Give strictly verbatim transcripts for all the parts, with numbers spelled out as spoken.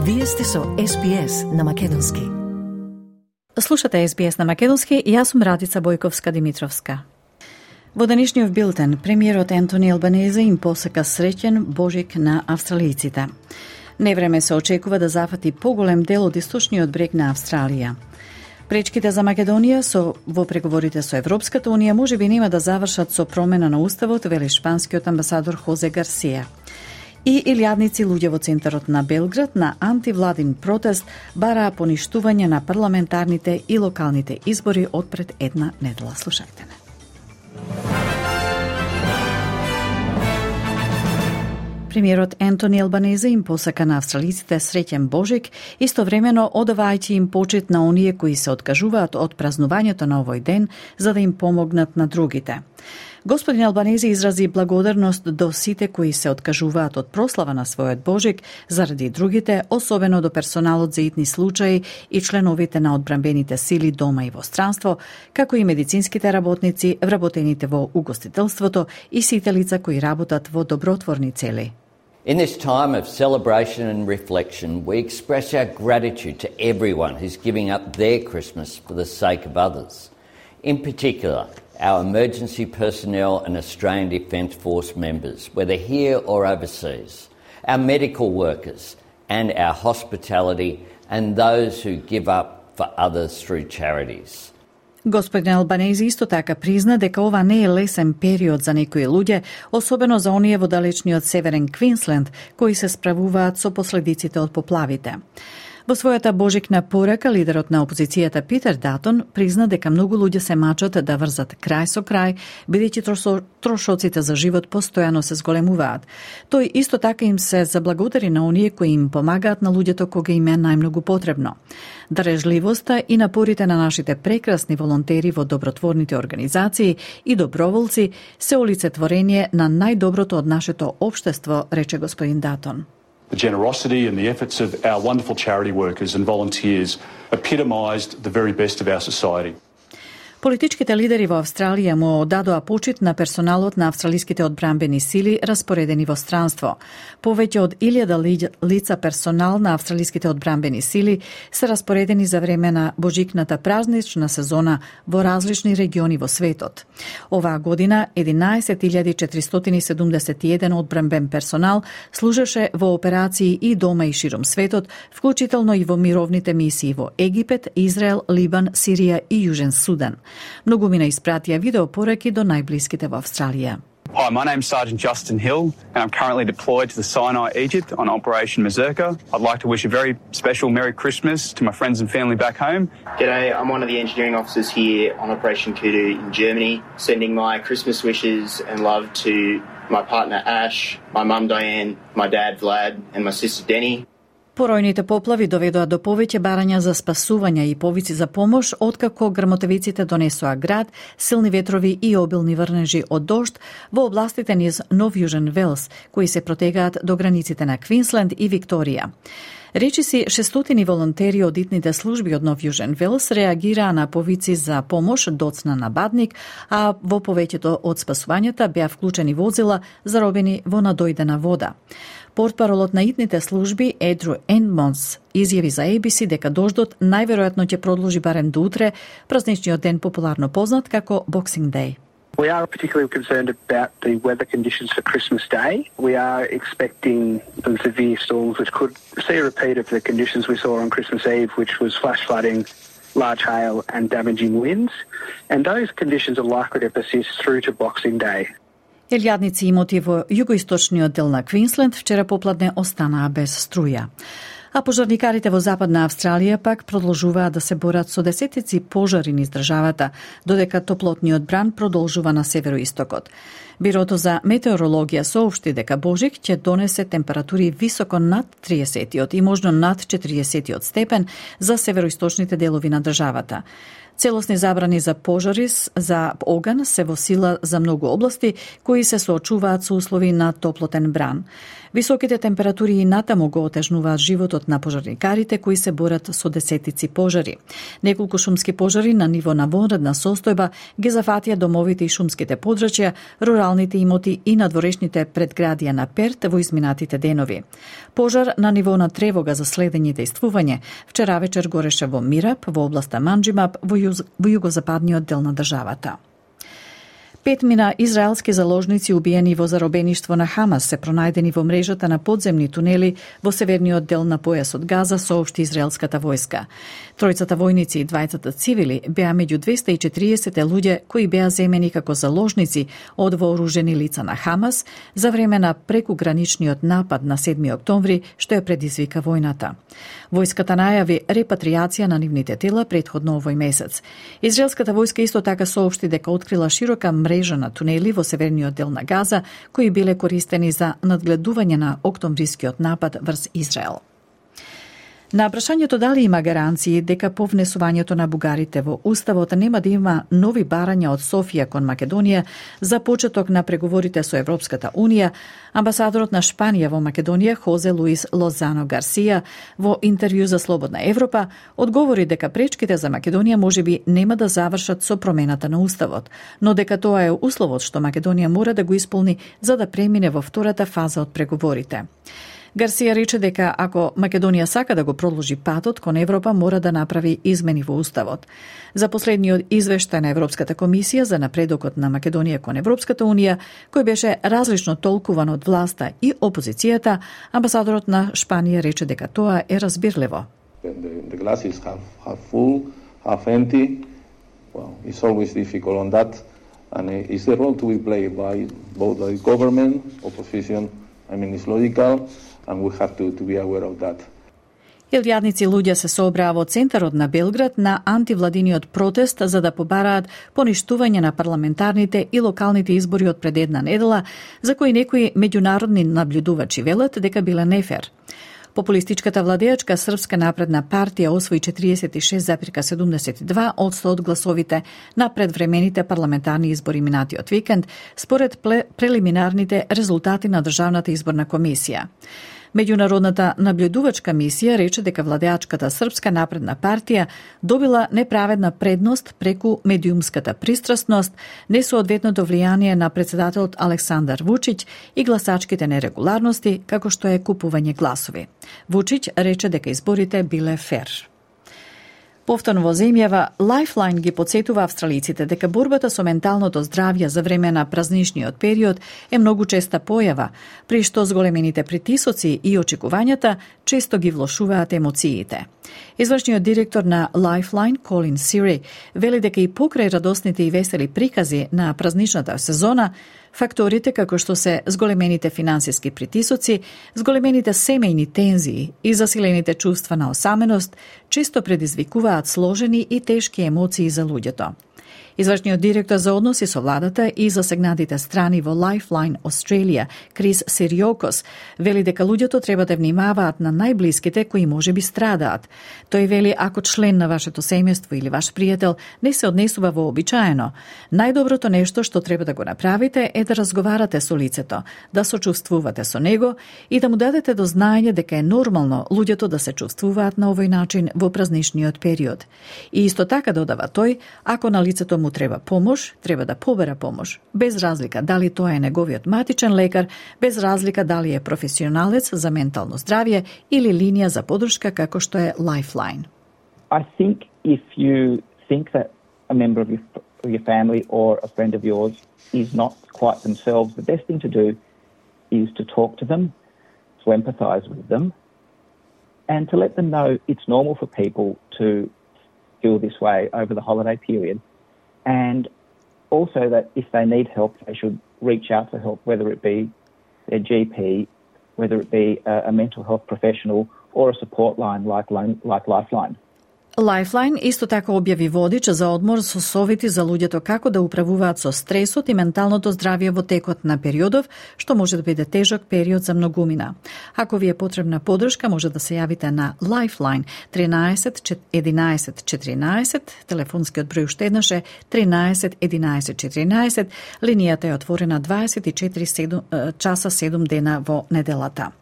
Вие сте со Ес Би Ес на Македонски. Слушате Ес Би Ес на Македонски и јас сум Радица Бојковска-Димитровска. Во денешниот билтен, премиерот Ентони Албанезе им посека среќен Божик на австралијците. Невреме се очекува да зафати поголем дел од источниот брег на Австралија. Пречките за Македонија со во преговорите со Европската унија можеби нема да завршат со промена на уставот, вели шпанскиот амбасадор Хозе Гарсија. И илјадници луѓе во центарот на Белград на антивладин протест бараа поништување на парламентарните и локалните избори од пред една недела. Слушајте ме. Премиерот Ентони Албанезе им посака на австралиците среќен Божик, истовремено одавајќи им почит на оние кои се откажуваат од празнувањето на овој ден за да им помогнат на другите. Господин Албанезе изрази благодарност до сите кои се откажуваат од прослава на својот Божик заради другите, особено до персоналот за итни случаи и членовите на одбранбените сили дома и во странство, како и медицинските работници, вработените во угостителството и сите лица кои работат во добротворни цели. In this time of celebration and reflection, we express our gratitude to everyone who's giving up their Christmas for the sake of others. In particular, our emergency personnel and Australian Defence Force members, whether here or overseas, our medical workers and our hospitality and those who give up for others through charities. Господин Албанезе исто така призна дека ова не е лесен период за некои луѓе, особено за оние во далечниот северен Квинсленд, кои се справуваат со последиците од поплавите. Во својата божикна порака, лидерот на опозицијата Питер Датон призна дека многу луѓе се мачат да врзат крај со крај, бидејќи трошоците за живот постојано се зголемуваат. Тој исто така им се заблагодари на оние кои им помагаат на луѓето кога им е најмногу потребно. Дарежливоста и напорите на нашите прекрасни волонтери во добротворните организации и доброволци се олицетворение на најдоброто од нашето општество, рече господин Датон. The generosity and the efforts of our wonderful charity workers and volunteers epitomised the very best of our society. Политичките лидери во Австралија му дадоа почит на персоналот на австралиските одбранбени сили распоредени во странство. Повеќе од илјада лица персонал на австралиските одбранбени сили се распоредени за време на божикната празнична сезона во различни региони во светот. Оваа година единаесет илјади четиристотини и седумдесет и еден одбранбен персонал служеше во операции и дома и широм светот, вклучително и во мировните мисии во Египет, Израел, Либан, Сирија и Јужен Судан. Многумина испратија видеопораки до најблиските во Австралија. Hi, my name's Sergeant Justin Hill, and I'm currently deployed to the Sinai, Egypt on Operation Mazurka. I'd like to wish a very special Merry Christmas to my friends and family back home. G'day, I'm one of the engineering officers here on Operation Kudu in Germany, sending my Christmas wishes and love to my partner Ash, my mum Diane, my dad Vlad, and my sister Denny. Поројните поплави доведоа до повеќе барања за спасување и повици за помош, откако грмотевиците донесоа град, силни ветрови и обилни врнежи од дожд во областите низ Нов Јужен Велс, кои се протегаат до границите на Квинсленд и Викторија. Речиси шестстотини волонтери од итните служби од Нов Јужен Велс реагираа на повици за помош доцна на Бадник, а во повеќето од спасувањата беа вклучени возила заробени во надојдена вода. Портпаролот на итните служби Едру Енмонс изјави за Ей Би Си дека дождот најверојатно ќе продолжи барем до утре, празничниот ден популарно познат како Boxing Day. We are particularly concerned about the weather conditions for Christmas Day. We are expecting some severe storms which could see a repeat of the conditions we saw on Christmas Eve, which was flash flooding, large hail and damaging winds. And those conditions are likely to persist through to Boxing Day. Илјадници имоти во југоисточниот дел на Квинсленд вчера попладне останаа без струја. А пожарникарите во Западна Австралија пак продолжуваат да се борат со десетици пожари низ државата, додека топлотниот бран продолжува на североистокот. Бирото за метеорологија соопшти дека Божик ќе донесе температури високо над триесетиот и можно над четириесетиот степен за североисточните делови на државата. Целосни забрани за пожари за оган се во сила за многу области кои се соочуваат со услови на топлотен бран. Високите температури и натаму го отежнуваат животот на пожарникарите кои се борат со десетици пожари. Неколку шумски пожари на ниво на вонредна состојба ги зафатија домовите и шумските подрачја, руралните имоти и надворешните предградија на Перт во изминатите денови. Пожар на ниво на тревога за следење и действување вчера вечер гореше во Мирап, во областа Манџимап, во, јуз, во југозападниот дел на државата. Петмина израелски заложници убиени во заробеништво на Хамас се пронајдени во мрежата на подземни тунели во северниот дел на појасот Газа, соопшти израелската војска. Тројцата војници и двајцата цивили беа меѓу двеста и четириесет луѓе кои беа земени како заложници од вооружени лица на Хамас за време на прекуграничниот напад на седми октомври, што ја предизвика војната. Војската најави репатријација на нивните тела претходно овој месец. Израелската војска исто така соопшти дека открила широка мрежа на тунели во северниот дел на Газа, кои биле користени за надгледување на октомврискиот напад врз Израел. На прашањето дали има гаранции дека по внесувањето на бугарите во Уставот нема да има нови барања од Софија кон Македонија за почеток на преговорите со Европската Унија, амбасадорот на Шпанија во Македонија Хозе Луис Лозано Гарсија во интервју за Слободна Европа одговори дека пречките за Македонија можеби нема да завршат со промената на Уставот, но дека тоа е условот што Македонија мора да го исполни за да премине во втората фаза од преговорите. Гарсија рече дека ако Македонија сака да го продолжи патот кон Европа, мора да направи измени во Уставот. За последниот извештај на Европската комисија за напредокот на Македонија кон Европската Унија, кој беше различно толкуван од власта и опозицијата, амбасадорот на Шпанија рече дека тоа е разбирливо. The, the glass is half, half full, half empty. Well, it's always difficult on that. And it's the role to be played by both the government, opposition. I mean, it's logical. And we have to, to be aware of that. Илјадници луѓе се собраа во центарот на Белград на антивладиниот протест за да побараат поништување на парламентарните и локалните избори од пред една недела, за кои некои меѓународни наблюдувачи велат дека биле нефер. Популистичката владеачка Српска напредна партија освои четириесет и шест зарез седумдесет и два одсто од гласовите на предвремените парламентарни избори минатиот викенд, според прелиминарните резултати на Државната изборна комисија. Меѓународната наблюдувачка мисија рече дека владеачката Српска напредна партија добила неправедна предност преку медиумската пристрасност, несоодветното влијание на председателот Александар Вучиќ и гласачките нерегуларности, како што е купување гласови. Вучиќ рече дека изборите биле фер. Повторно во земјава, Lifeline ги подсетува австралиците дека борбата со менталното здравје за време на празничниот период е многу честа појава, при што зголемените притисоци и очекувањата често ги влошуваат емоциите. Извршниот директор на Lifeline, Colin Seary, вели дека и покрај радосните и весели прикази на празничната сезона, факторите како што се зголемените финансиски притисоци, зголемените семејни тензии и засилените чувства на осаменост често предизвикуваат сложени и тешки емоции за луѓето. Извршниот директор за односи со владата и засегнатите страни во Lifeline Australia, Крис Сириокос, вели дека луѓето треба да внимаваат на најблиските кои можеби страдаат. Тој вели ако член на вашето семејство или ваш пријател не се однесува вообичаено, најдоброто нешто што треба да го направите е да разговарате со лицето, да сочувствувате со него и да му дадете до знаење дека е нормално луѓето да се чувствуваат на овој начин во празничниот период. И исто така додава тој, ако на лицето му треба помош, треба да побера помош, без разлика дали тоа е неговиот матичен лекар, без разлика дали е професионалец за ментално здравје или линија за подршка како што е Lifeline. I think if you think that a member of your, of your family or a friend of yours is not quite themselves, the best thing to do is to talk to them, to empathise with them, and to let them know it's normal for people to feel this way over the holiday period. And also that if they need help, they should reach out for help, whether it be their G P, whether it be a, a mental health professional or a support line like, like Lifeline. Lifeline исто така објави водич за одмор со совети за луѓето како да управуваат со стресот и менталното здравје во текот на периодов, што може да биде тежок период за многумина. Ако ви е потребна подршка, може да се јавите на Lifeline тринаесет единаесет четиринаесет, телефонскиот број уште еднаш е тринаесет единаесет четиринаесет, линијата е отворена дваесет и четири часа седум дена во неделата.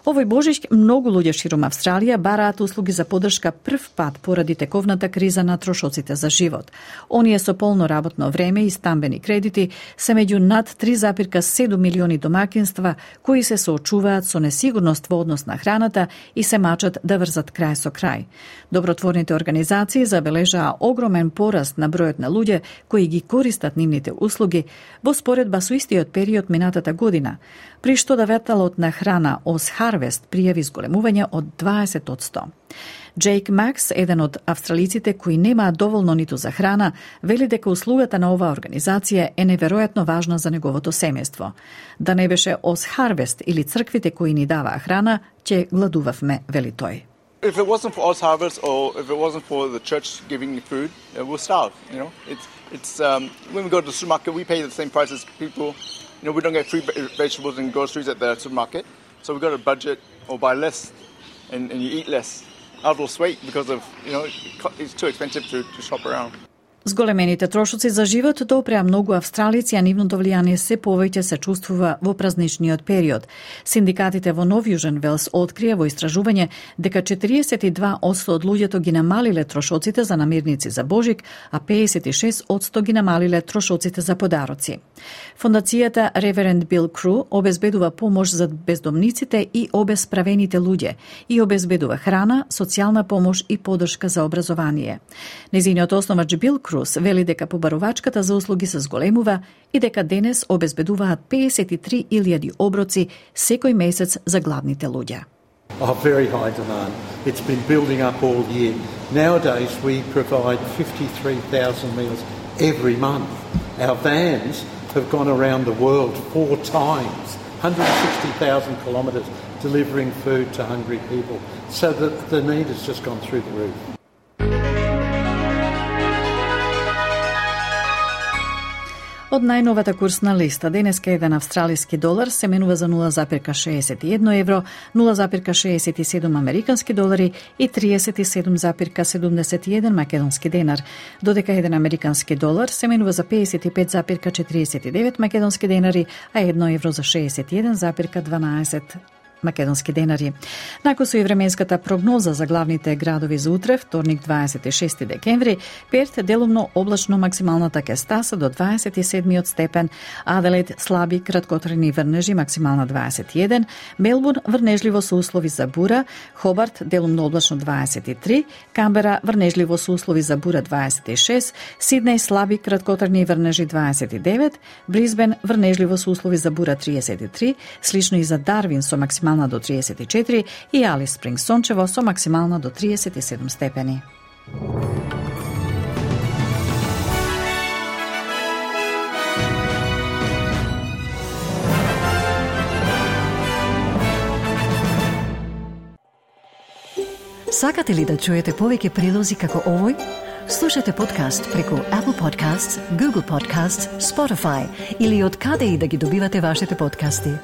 Овој Божич многу луѓе ширум Австралија бараат услуги за подршка прв пат поради тековната криза на трошоците за живот. Оние со полно работно време и стамбени кредити се меѓу над три запирка седум милиони домакинства кои се соочуваат со несигурност во однос на храната и се мачат да врзат крај со крај. Добротворните организации забележаа огромен пораст на бројот на луѓе кои ги користат нивните услуги во споредба со истиот период минатата година, при што давателот на храна Oz Harvest пријави зголемување од дваесет одсто. Джейк Макс, еден од австралиците кои немаат доволно ниту за храна, вели дека услугата на оваа организација е неверојатно важна за неговото семејство. Да не беше Oz Harvest или црквите кои ни даваа храна, ќе гладувавме, вели тој. If it wasn't for Oz Harvest or if it wasn't for the church giving food, uh, we'll starve, you know. It's it's um, when we go to the supermarket, we pay the same price as people. You know, we don't get free vegetables and groceries at the supermarket, so we've got to budget or buy less, and, and you eat less. I've lost weight because of, you know, it's too expensive to, to shop around. Зголемените трошоци за живот допреа многу австралици, а нивното влијание се повеќе се чувствува во празничниот период. Синдикатите во Нов Јужен Велс открија во истражување дека четириесет и два одсто од луѓето ги намалиле трошоците за намирници за Божик, а пеесет и шест одсто ги намалиле трошоците за подароци. Фондацијата Реверенд Бил Кру обезбедува помош за бездомниците и обесправените луѓе и обезбедува храна, социјална помош и подршка за образование. Незиниот основач Бил Кру вели дека побарувачката за услуги се зголемува и дека денес обезбедуваат пеесет и три илјади оброци секој месец за гладните луѓе. Oh, very high demand. It's been building up all year. Nowadays we provide fifty-three thousand meals every month. Our vans have gone around the world four times, one hundred sixty thousand kilometres delivering food to hungry people. So the, the need has just gone through the roof. Од најновата курсна листа, денеска еден австралиски долар се менува за нула запирка шеесет и едно евро, нула запирка шеесет и седум американски долари и триесет и седум запирка седумдесет и еден македонски денар, додека еден американски долар се менува за пеесет и пет запирка четириесет и девет македонски денари, а едно евро за шеесет и еден запирка дванаесет македонски денари. Накусо и временската прогноза за главните градови за утре, вторник дваесет и шести декември, Перт делумно облачно, максималната ќе стаса до дваесет и седми степен, Аделаид слаби краткотрени врнежи, максимална дваесет и еден, Мелбурн врнежливо со услови за бура, Хобарт делумно облачно дваесет и три, Камбера врнежливо со услови за бура дваесет и шест, Сиднеј слаби краткотрени врнежи дваесет и девет, Брисбен врнежливо со услови за бура триесет и три, слично и за Дарвин со максимална до триесет и четири и Алис Спрингс сончево со максимална до триесет и седум степени. Сакате ли да чуете повеќе прилози како овој? Слушате подкаст преку Apple Podcasts, Google Podcasts, Spotify или од каде и да ги добивате вашите подкасти.